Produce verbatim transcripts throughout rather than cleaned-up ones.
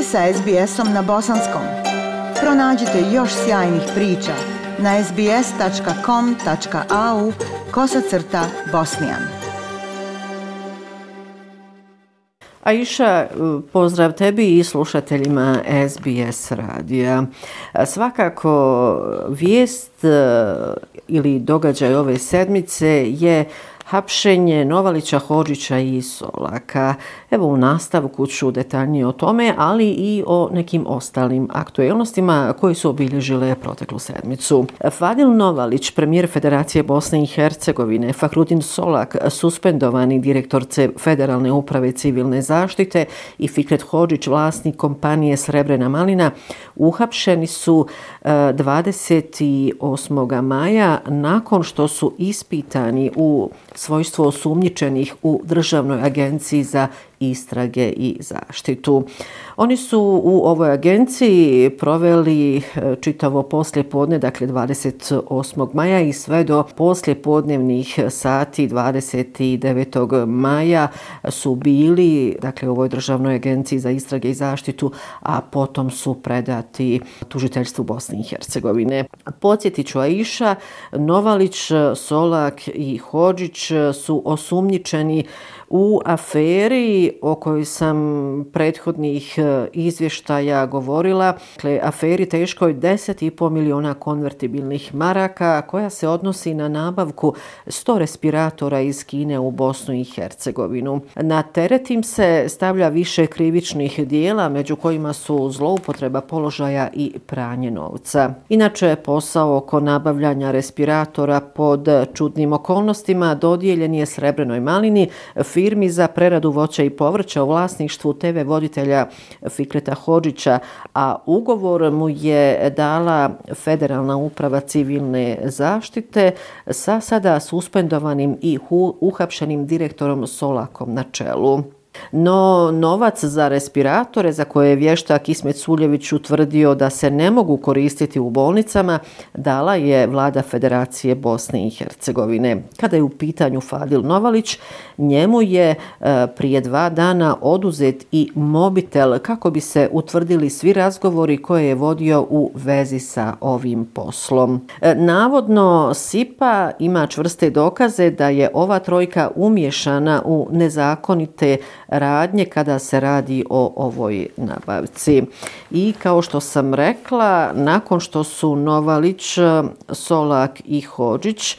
ste sa es be esom na bosanskom. Pronađite još sjajnih priča na es be es tačka com tačka a u kosacrta bosnijan. Aisha, pozdrav tebi i slušateljima es be es radija. Svakako vijest ili događaj ove sedmice je hapšenje Novalića, Hodžića i Solaka. Evo u nastavku ću detaljnije o tome, ali i o nekim ostalim aktuelnostima koji su obilježile proteklu sedmicu. Fadil Novalić, premijer Federacije Bosne i Hercegovine, Fahrudin Solak, suspendovani direktor Federalne uprave civilne zaštite i Fikret Hodžić, vlasnik kompanije Srebrena malina, uhapšeni su dvadeset osmog maja nakon što su ispitani u svojstvo osumnjičenih u Državnoj agenciji za istrage i zaštitu. Oni su u ovoj agenciji proveli čitavo poslijepodne, dakle dvadeset osmog maja i sve do poslijepodnevnih sati dvadeset devetog maja su bili, dakle u ovoj Državnoj agenciji za istrage i zaštitu, a potom su predati tužiteljstvu Bosne i Hercegovine. Podsjetit ću, Aisha, Novalić, Solak i Hodžić su osumnjičeni u aferi o kojoj sam prethodnih izvještaja govorila, dakle aferi teškoj deset i po miliona konvertibilnih maraka koja se odnosi na nabavku sto respiratora iz Kine u Bosnu i Hercegovinu. Na teret im se stavlja više krivičnih dijela, među kojima su zloupotreba položaja i pranje novca. Inače, posao oko nabavljanja respiratora pod čudnim okolnostima dodijeljen je Srebrenoj malini, firmi za preradu voća i povrća u vlasništvu te ve voditelja Fikreta Hodžića, a ugovor mu je dala Federalna uprava civilne zaštite sa sada suspendovanim i uhapšenim direktorom Solakom na čelu. No, novac za respiratore, za koje je vještak Ismet Suljević utvrdio da se ne mogu koristiti u bolnicama, dala je vlada Federacije Bosne i Hercegovine. Kada je u pitanju Fadil Novalić, njemu je e, prije dva dana oduzet i mobitel kako bi se utvrdili svi razgovori koje je vodio u vezi sa ovim poslom. E, navodno, SIPA ima čvrste dokaze da je ova trojka umiješana u nezakonite radnje kada se radi o ovoj nabavci. I kao što sam rekla, nakon što su Novalić, Solak i Hodžić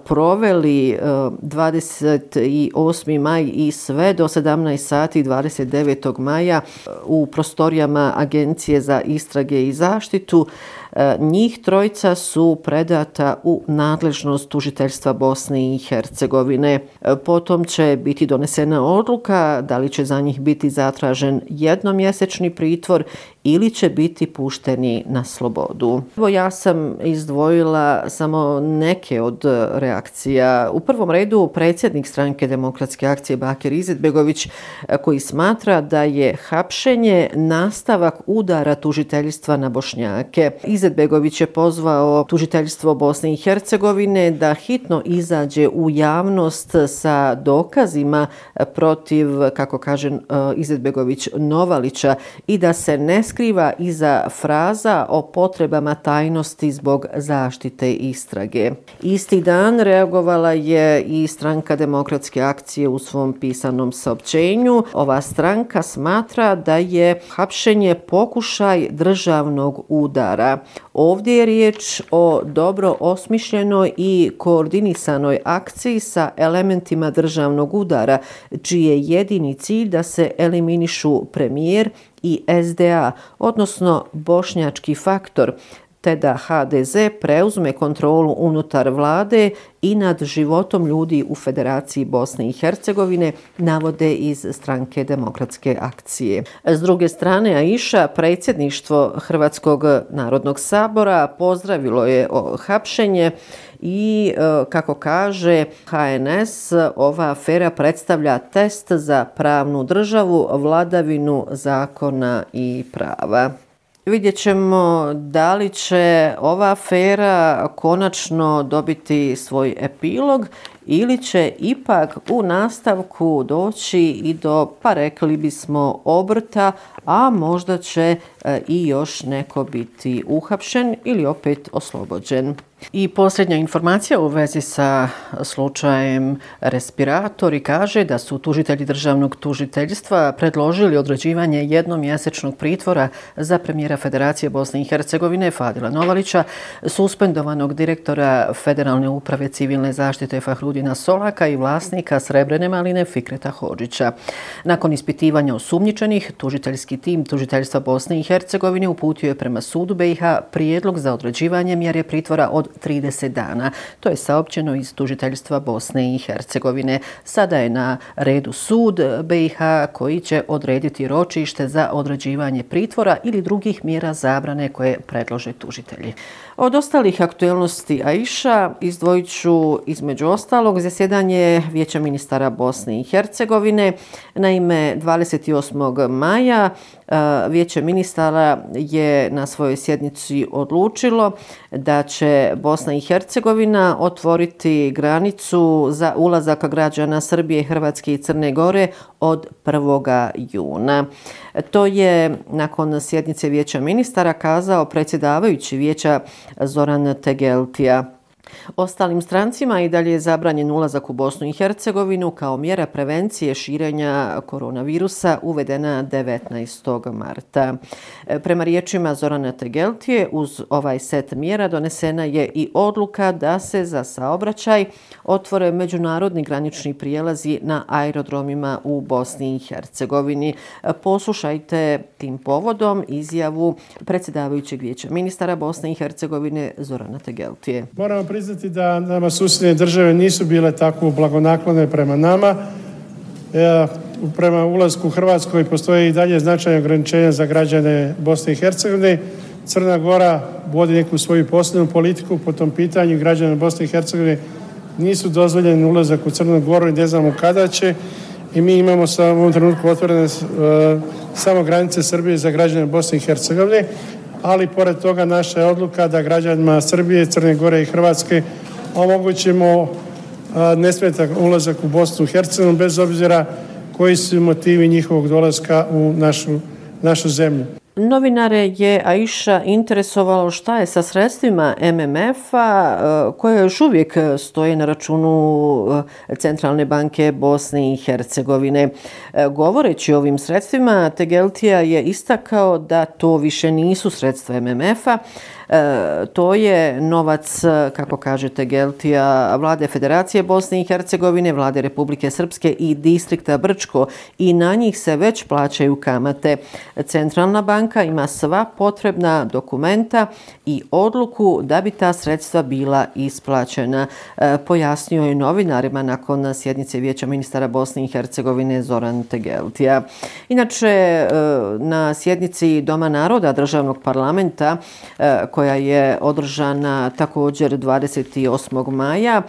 proveli dvadeset osmi maj i sve do sedamnaest sati dvadeset devetog maja u prostorijama Agencije za istrage i zaštitu, njih trojica su predata u nadležnost tužiteljstva Bosne i Hercegovine. Potom će biti donesena odluka da li će za njih biti zatražen jednomjesečni pritvor ili će biti pušteni na slobodu. Evo, ja sam izdvojila samo neke od reakcija. U prvom redu predsjednik Stranke demokratske akcije Bakir Izetbegović, koji smatra da je hapšenje nastavak udara tužiteljstva na Bošnjake. Izetbegović je pozvao tužiteljstvo Bosne i Hercegovine da hitno izađe u javnost sa dokazima protiv, kako kaže Izetbegović, Novalića i da se ne skriva iza fraza o potrebama tajnosti zbog zaštite istrage. Isti dan reagovala je i Stranka demokratske akcije u svom pisanom saopćenju. Ova stranka smatra da je hapšenje pokušaj državnog udara. Ovdje je riječ o dobro osmišljenoj i koordinisanoj akciji sa elementima državnog udara, čiji je jedini cilj da se eliminišu premijer i es de a, odnosno bošnjački faktor, te da ha de ze preuzme kontrolu unutar vlade i nad životom ljudi u Federaciji Bosne i Hercegovine, navode iz Stranke demokratske akcije. S druge strane, Aisha, predsjedništvo Hrvatskog narodnog sabora pozdravilo je hapšenje i, kako kaže ha en es, ova afera predstavlja test za pravnu državu, vladavinu zakona i prava. Vidjet ćemo da li će ova afera konačno dobiti svoj epilog ili će ipak u nastavku doći i do, pa rekli bismo, obrta, a možda će i još neko biti uhapšen ili opet oslobođen. I posljednja informacija u vezi sa slučajem respiratori kaže da su tužitelji državnog tužiteljstva predložili određivanje jednomjesečnog pritvora za premijera Federacije Bosne i Hercegovine Fadila Novalića, suspendovanog direktora Federalne uprave civilne zaštite Fahrudina Solaka i vlasnika Srebrene maline Fikreta Hodžića. Nakon ispitivanja osumnjičenih, tužiteljski tim tužiteljstva Bosne i Hercegovine uputio je prema sudu B i H prijedlog za određivanje mjere pritvora od trideset dana. To je saopćeno iz tužiteljstva Bosne i Hercegovine. Sada je na redu sud B i H koji će odrediti ročište za određivanje pritvora ili drugih mjera zabrane koje predlože tužitelji. Od ostalih aktuelnosti Aisha izdvojit ću između ostalog zasjedanje Vijeća ministara Bosne i Hercegovine. Naime, dvadeset osmog maja Vijeće ministara je na svojoj sjednici odlučilo da će Bosna i Hercegovina otvoriti granicu za ulazak građana Srbije, Hrvatske i Crne Gore od prvog juna. To je nakon sjednice Vijeća ministara kazao predsjedavajući Vijeća Zoran Tegeltija. Ostalim strancima i dalje je zabranjen ulazak u Bosnu i Hercegovinu kao mjera prevencije širenja koronavirusa uvedena devetnaestog marta. Prema riječima Zorana Tegeltije, uz ovaj set mjera donesena je i odluka da se za saobraćaj otvore međunarodni granični prijelazi na aerodromima u Bosni i Hercegovini. Poslušajte tim povodom izjavu predsjedavajućeg Vijeća ministara Bosne i Hercegovine Zorana Tegeltije. Moramo priznati da nama susjedne države nisu bile tako blagonaklone prema nama. E, prema ulasku u Hrvatskoj postoje i dalje značajne ograničenja za građane Bosne i Hercegovine. Crna Gora vodi neku svoju posebnu politiku po tom pitanju. Građane Bosne i Hercegovine nisu dozvoljeni ulazak u Crnu Goru i ne znamo kada će. I mi imamo sa u ovom trenutku otvorene e, samo granice Srbije za građane Bosne i Hercegovine. Ali pored toga naša je odluka da građanima Srbije, Crne Gore i Hrvatske omogućimo nesmetan ulazak u Bosnu i Hercegovinu bez obzira koji su motivi njihovog dolaska u našu, našu zemlju. Novinare je Aisha interesovalo šta je sa sredstvima M M F-a koje još uvijek stoje na računu Centralne banke Bosne i Hercegovine. Govoreći o ovim sredstvima, Tegeltija je istakao da to više nisu sredstva M M F-a, E, to je novac, kako kaže Tegeltija, vlade Federacije Bosne i Hercegovine, vlade Republike Srpske i distrikta Brčko i na njih se već plaćaju kamate. Centralna banka ima sva potrebna dokumenta i odluku da bi ta sredstva bila isplaćena, e, pojasnio je novinarima nakon sjednice Vijeća ministara Bosne i Hercegovine Zoran Tegeltija. Inače, e, na sjednici Doma naroda državnog parlamenta e, koja je održana također dvadeset osmog maja.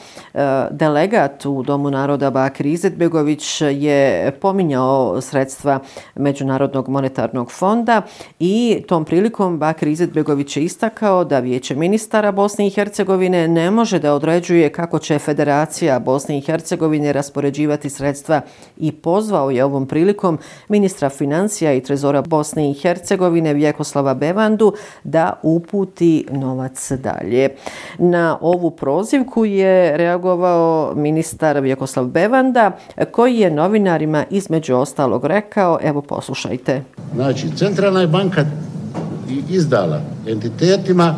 Delegat u Domu naroda Bakir Izetbegović je pominjao sredstva Međunarodnog monetarnog fonda i tom prilikom Bakir Izetbegović je istakao da Vijeće ministara Bosne i Hercegovine ne može da određuje kako će Federacija Bosne i Hercegovine raspoređivati sredstva i pozvao je ovom prilikom ministra financija i trezora Bosne i Hercegovine Vjekoslava Bevandu da uputi novac dalje. Na ovu prozivku je reagovao ministar Vjekoslav Bevanda koji je novinarima između ostalog rekao, evo poslušajte. Znači, Centralna je banka izdala entitetima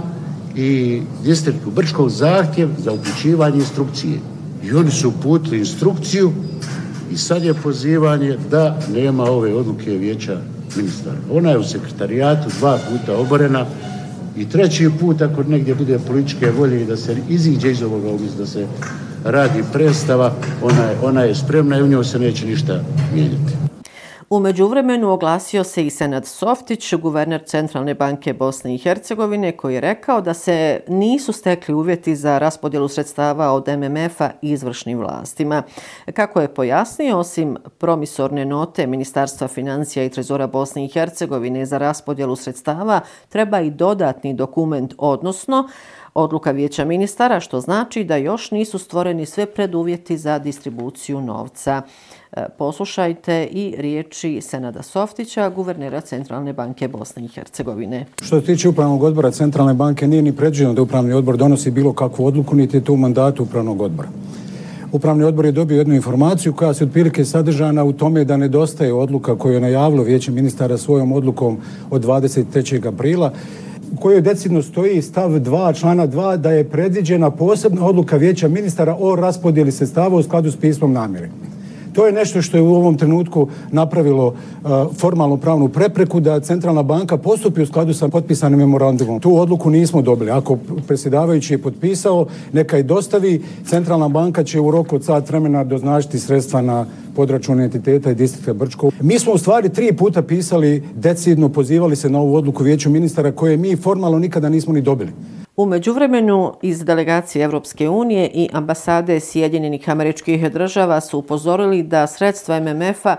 i distriktu Brčkog zahtjev za uključivanje instrukcije. I oni su uputili instrukciju i sad je pozivanje da nema ove odluke Vijeća ministara. Ona je u sekretarijatu dva puta oborena i treći put ako negdje bude političke volje i da se iziđe iz ovoga umjesto da se radi predstava, ona je, ona je spremna i u njoj se neće ništa mijenjati. U međuvremenu oglasio se i Senad Softić, guverner Centralne banke Bosne i Hercegovine, koji je rekao da se nisu stekli uvjeti za raspodjelu sredstava od M M F-a izvršnim vlastima. Kako je pojasnio, osim promisorne note Ministarstva financija i trezora Bosne i Hercegovine za raspodjelu sredstava, treba i dodatni dokument, odnosno odluka Vijeća ministara, što znači da još nisu stvoreni sve preduvjeti za distribuciju novca. Poslušajte i riječi Senada Softića, guvernera Centralne banke Bosne i Hercegovine. Što se tiče Upravnog odbora Centralne banke, nije ni predviđeno da Upravni odbor donosi bilo kakvu odluku, niti je to u mandatu Upravnog odbora. Upravni odbor je dobio jednu informaciju koja se otprilike sadržana u tome da nedostaje odluka koju je najavilo Vijeće ministara svojom odlukom od dvadeset trećeg aprila, u kojoj decidno stoji stav dva, člana dva, da je predviđena posebna odluka Vijeća ministara o raspodjeli sredstava u skladu s pismom namjere. To je nešto što je u ovom trenutku napravilo uh, formalnu pravnu prepreku da Centralna banka postupi u skladu sa potpisanim memorandumom. Tu odluku nismo dobili. Ako predsjedavajući je potpisao, neka i dostavi. Centralna banka će u roku od sat vremena doznačiti sredstva na podračun entiteta i distrikta Brčko. Mi smo u stvari tri puta pisali, decidno pozivali se na ovu odluku Vijeću ministara koje mi formalno nikada nismo ni dobili. U međuvremenu iz delegacije Evropske unije i ambasade Sjedinjenih Američkih Država su upozorili da sredstva M M F-a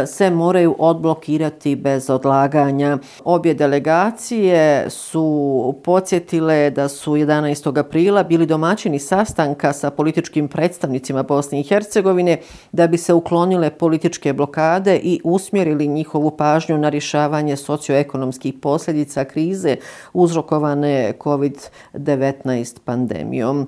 se moraju odblokirati bez odlaganja. Obje delegacije su podsjetile da su jedanaestog aprila bili domaćini sastanka sa političkim predstavnicima Bosne i Hercegovine da bi se uklonile političke blokade i usmjerili njihovu pažnju na rješavanje socioekonomskih posljedica krize uzrokovane kovid devetnaest pandemijom.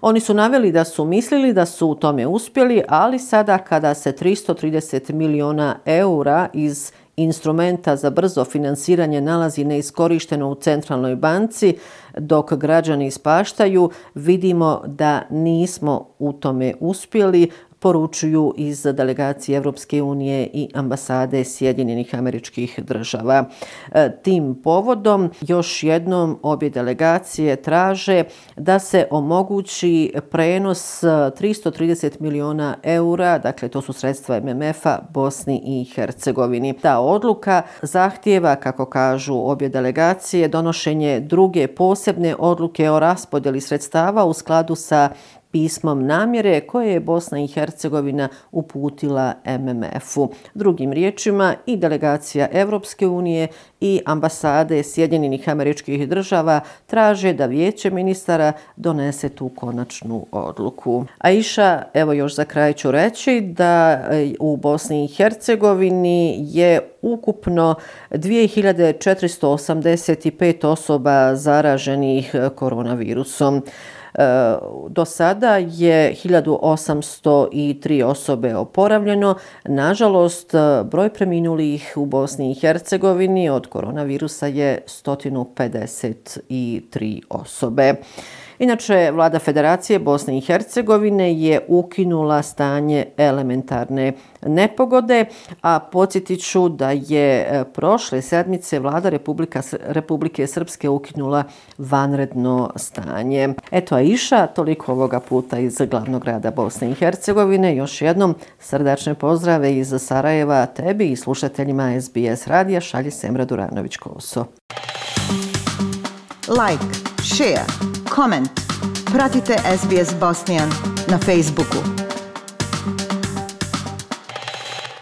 Oni su naveli da su mislili da su u tome uspjeli, ali sada kada se tristo trideset milijuna eura iz instrumenta za brzo finansiranje nalazi neiskorišteno u Centralnoj banci, dok građani ispaštaju, vidimo da nismo u tome uspjeli, poručuju iz delegacije Evropske unije i ambasade Sjedinjenih Američkih Država. Tim povodom još jednom obje delegacije traže da se omogući prenos tristo trideset milijuna eura, dakle to su sredstva M M F-a Bosni i Hercegovini. Ta odluka zahtijeva, kako kažu obje delegacije, donošenje druge posebne odluke o raspodjeli sredstava u skladu sa pismom namjere koje je Bosna i Hercegovina uputila M M F-u. Drugim riječima, i delegacija Evropske unije i ambasade Sjedinjenih Američkih Država traže da Vijeće ministara donese tu konačnu odluku. Aisha, evo još za kraj ću reći da u Bosni i Hercegovini je ukupno dvije hiljade četiristo osamdeset pet osoba zaraženih koronavirusom. Do sada je hiljadu osamsto tri osobe oporavljeno. Nažalost, broj preminulih u Bosni i Hercegovini od koronavirusa je sto pedeset tri osobe. Inače, vlada Federacije Bosne i Hercegovine je ukinula stanje elementarne nepogode, a podsjetit ću da je prošle sedmice vlada Republika, Republike Srpske ukinula vanredno stanje. Eto, Aisha, toliko ovoga puta iz glavnog grada Bosne i Hercegovine. Još jednom srdačne pozdrave iz Sarajeva tebi i slušateljima S B S radija šalje Semra Duranović-Koso. Like, share, comment. Pratite S B S Bosnian na Facebooku.